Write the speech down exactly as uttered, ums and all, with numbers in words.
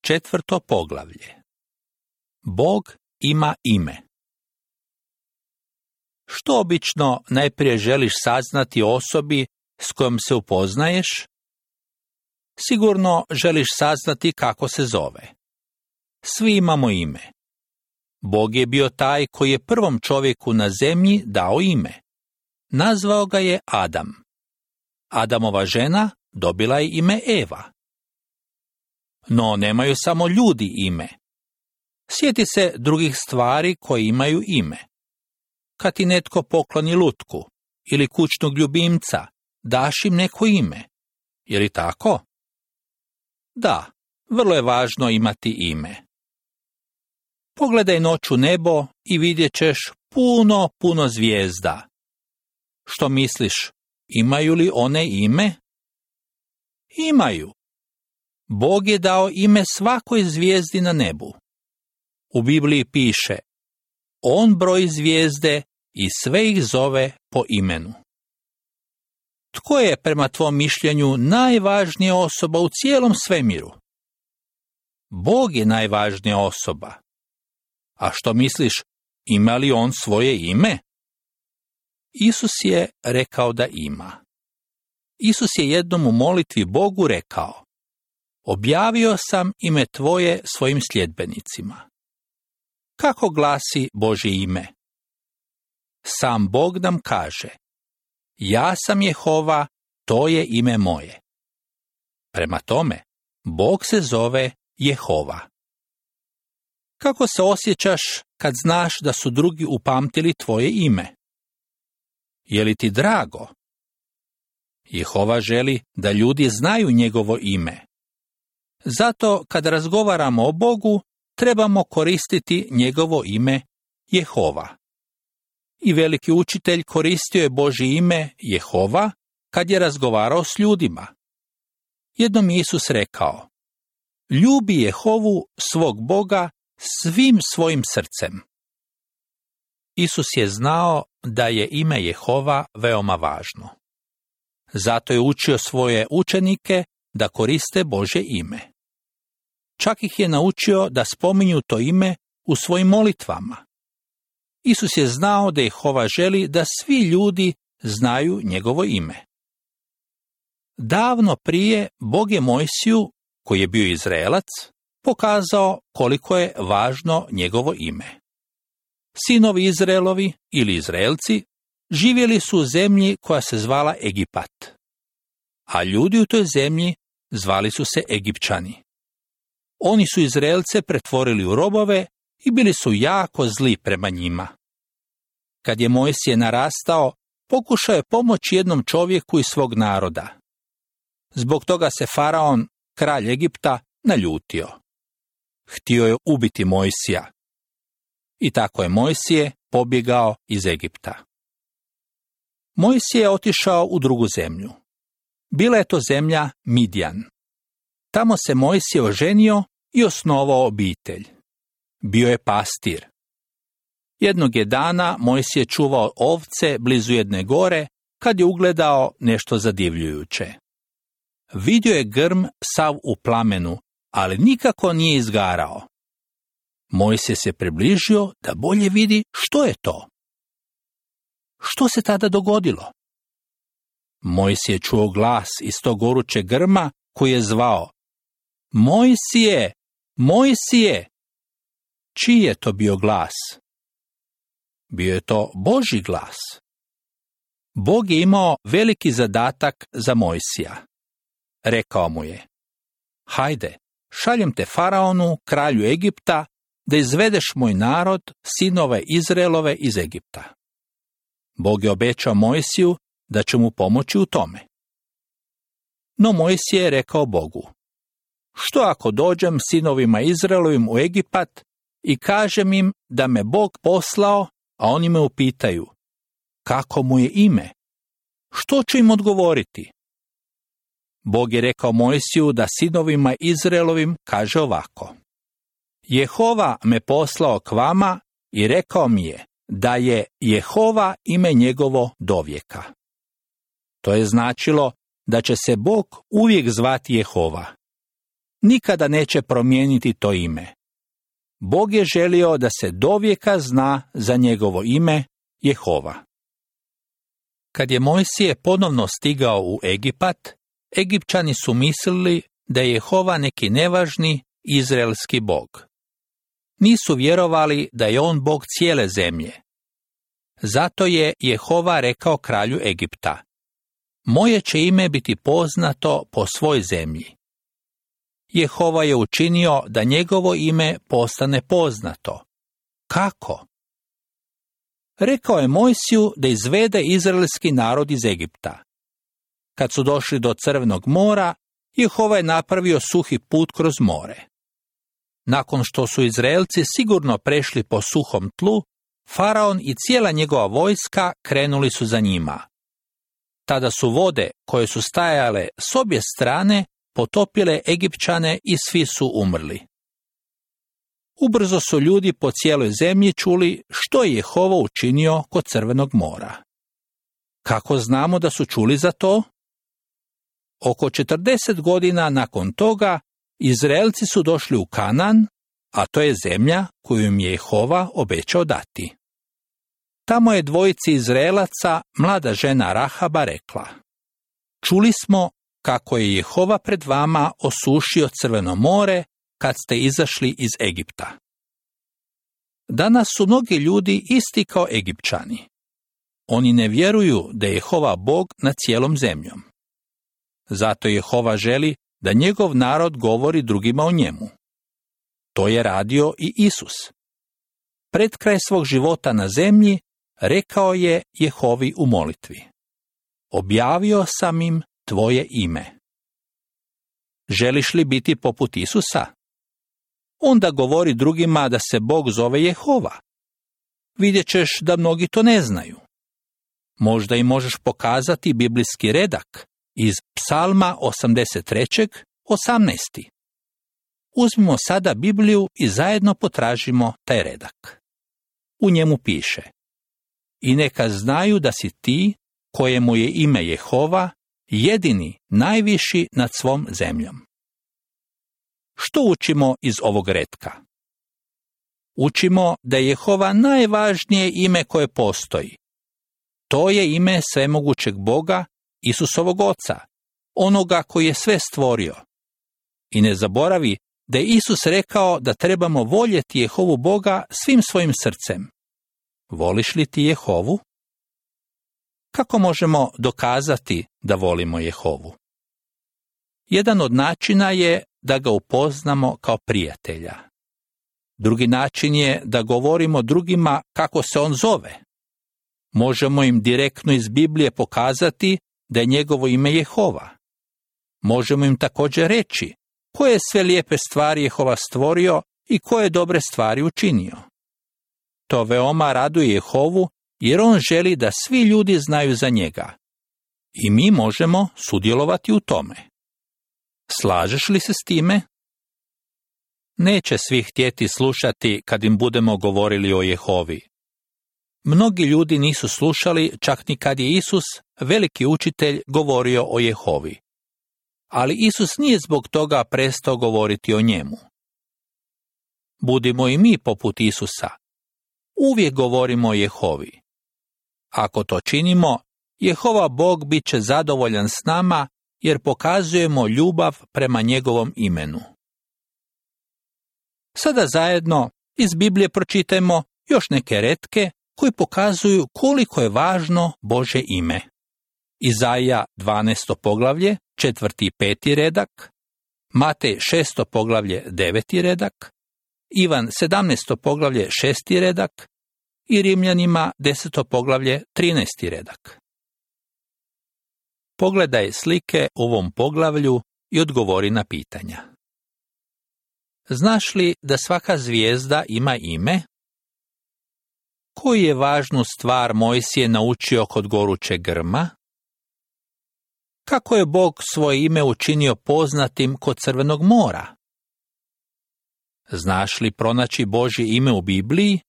Četvrto poglavlje. Bog ima ime. Što obično najprije želiš saznati o osobi s kojom se upoznaješ? Sigurno želiš saznati kako se zove. Svi imamo ime. Bog je bio taj koji je prvom čovjeku na zemlji dao ime. Nazvao ga je Adam. Adamova žena dobila je ime Eva. No nemaju samo ljudi ime. Sjeti se drugih stvari koje imaju ime. Kad ti netko pokloni lutku ili kućnog ljubimca, daš im neko ime. Je li tako? Da, vrlo je važno imati ime. Pogledaj noću nebo i vidjet ćeš puno, puno zvijezda. Što misliš, imaju li one ime? Imaju. Bog je dao ime svakoj zvijezdi na nebu. U Bibliji piše: On broji zvijezde i sve ih zove po imenu. Tko je prema tvom mišljenju najvažnija osoba u cijelom svemiru? Bog je najvažnija osoba. A što misliš, ima li on svoje ime? Isus je rekao da ima. Isus je jednom u molitvi Bogu rekao: Objavio sam ime tvoje svojim sljedbenicima. Kako glasi Božje ime? Sam Bog nam kaže: Ja sam Jehova, to je ime moje. Prema tome, Bog se zove Jehova. Kako se osjećaš kad znaš da su drugi upamtili tvoje ime? Je li ti drago? Jehova želi da ljudi znaju njegovo ime. Zato kad razgovaramo o Bogu, trebamo koristiti njegovo ime Jehova. I veliki učitelj koristio je Božje ime Jehova kad je razgovarao s ljudima. Jednom je Isus rekao: Ljubi Jehovu svog Boga svim svojim srcem. Isus je znao da je ime Jehova veoma važno. Zato je učio svoje učenike da koriste Božje ime. Čak ih je naučio da spominju to ime u svojim molitvama. Isus je znao da Jehova želi da svi ljudi znaju njegovo ime. Davno prije Bog je Mojsiju, koji je bio Izraelac, pokazao koliko je važno njegovo ime. Sinovi Izraelovi ili Izraelci živjeli su u zemlji koja se zvala Egipat, a ljudi u toj zemlji zvali su se Egipćani. Oni su Izraelce pretvorili u robove i bili su jako zli prema njima. Kad je Mojsije narastao, pokušao je pomoći jednom čovjeku iz svog naroda. Zbog toga se Faraon, kralj Egipta, naljutio. Htio je ubiti Mojsija. I tako je Mojsije pobjegao iz Egipta. Mojsije je otišao u drugu zemlju. Bila je to zemlja Midjan. Tamo se Mojsije oženio i osnovao obitelj. Bio je pastir. Jednog je dana Mojsije čuvao ovce blizu jedne gore kad je ugledao nešto zadivljujuće. Vidio je grm sav u plamenu, ali nikako nije izgarao. Mojsije se približio da bolje vidi što je to. Što se tada dogodilo? Mojsije čuo glas iz tog gorućeg grma koji je zvao: Mojsije, Mojsije! Čiji je to bio glas? Bio je to Božji glas. Bog je imao veliki zadatak za Mojsija. Rekao mu je: Hajde, šaljem te Faraonu, kralju Egipta, da izvedeš moj narod, sinove Izraelove, iz Egipta. Bog je obećao Mojsiju da će mu pomoći u tome. No Mojsije je rekao Bogu: Što ako dođem sinovima Izraelovim u Egipat i kažem im da me Bog poslao, a oni me upitaju: Kako mu je ime? Što ću im odgovoriti? Bog je rekao Mojsiju da sinovima Izraelovim kaže ovako: Jehova me poslao k vama i rekao mi je da je Jehova ime njegovo dovijeka. To je značilo da će se Bog uvijek zvati Jehova. nikada neće promijeniti to ime. Bog je želio da se dovijeka zna za njegovo ime Jehova. Kad je Mojsije ponovno stigao u Egipat, Egipćani su mislili da je Jehova neki nevažni izraelski bog. Nisu vjerovali da je on bog cijele zemlje. Zato je Jehova rekao kralju Egipta: moje će ime biti poznato po svoj zemlji. Jehova je učinio da njegovo ime postane poznato. Kako? Rekao je Mojsiju da izvede izraelski narod iz Egipta. Kad su došli do Crvenog mora, Jehova je napravio suhi put kroz more. Nakon što su Izraelci sigurno prešli po suhom tlu, Faraon i cijela njegova vojska krenuli su za njima. Tada su vode koje su stajale s obje strane potopile Egipćane i svi su umrli. Ubrzo su ljudi po cijeloj zemlji čuli što je Jehova učinio kod Crvenog mora. Kako znamo da su čuli za to? Oko četrdeset godina nakon toga Izraelci su došli u Kanaan, a to je zemlja koju im je Jehova obećao dati. Tamo je dvojici Izraelaca mlada žena Rahaba rekla: čuli smo kako je Jehova pred vama osušio Crveno more kad ste izašli iz Egipta. Danas su mnogi ljudi isti kao Egipćani. Oni ne vjeruju da je Jehova Bog nad cijelom zemljom. Zato Jehova želi da njegov narod govori drugima o njemu. To je radio i Isus. Pred kraj svog života na zemlji rekao je Jehovi u molitvi: objavio sam im tvoje ime. Želiš li biti poput Isusa? Onda govori drugima da se Bog zove Jehova. Vidjet ćeš da mnogi to ne znaju. Možda i možeš pokazati biblijski redak iz Psalma osamdeset tri, osamnaest. Uzmimo sada Bibliju i zajedno potražimo taj redak. U njemu piše: i neka znaju da si ti, kojemu je ime Jehova, jedini, najviši nad svom zemljom. Što učimo iz ovog retka? Učimo da je Jehova najvažnije ime koje postoji. To je ime svemogućeg Boga, Isusovog Oca, onoga koji je sve stvorio. I ne zaboravi da je Isus rekao da trebamo voljeti Jehovu Boga svim svojim srcem. Voliš li ti Jehovu? Kako možemo dokazati da volimo Jehovu? Jedan od načina je da ga upoznamo kao prijatelja. Drugi način je da govorimo drugima kako se on zove. Možemo im direktno iz Biblije pokazati da je njegovo ime Jehova. Možemo im također reći koje sve lijepe stvari Jehova stvorio i koje dobre stvari učinio. To veoma raduje Jehovu jer on želi da svi ljudi znaju za njega. I mi možemo sudjelovati u tome. Slažeš li se s time? Neće svi htjeti slušati kad im budemo govorili o Jehovi. Mnogi ljudi nisu slušali čak ni kad je Isus, veliki učitelj, govorio o Jehovi. Ali Isus nije zbog toga prestao govoriti o njemu. Budimo i mi poput Isusa. Uvijek govorimo o Jehovi. Ako to činimo, Jehova Bog bit će zadovoljan s nama jer pokazujemo ljubav prema njegovom imenu. Sada zajedno iz Biblije pročitajmo još neke retke koji pokazuju koliko je važno Božje ime. Izaija dvanaesto poglavlje, četvrti i peti redak, Matej šesto poglavlje, deveti redak, Ivan sedamnaesto poglavlje, šesti redak i Rimljanima deseto poglavlje, trinaesti redak. Pogledaj slike u ovom poglavlju i odgovori na pitanja. Znaš li da svaka zvijezda ima ime? Koju je važnu stvar Mojsije naučio kod gorućeg grma? Kako je Bog svoje ime učinio poznatim kod Crvenog mora? Znaš li pronaći Božje ime u Bibliji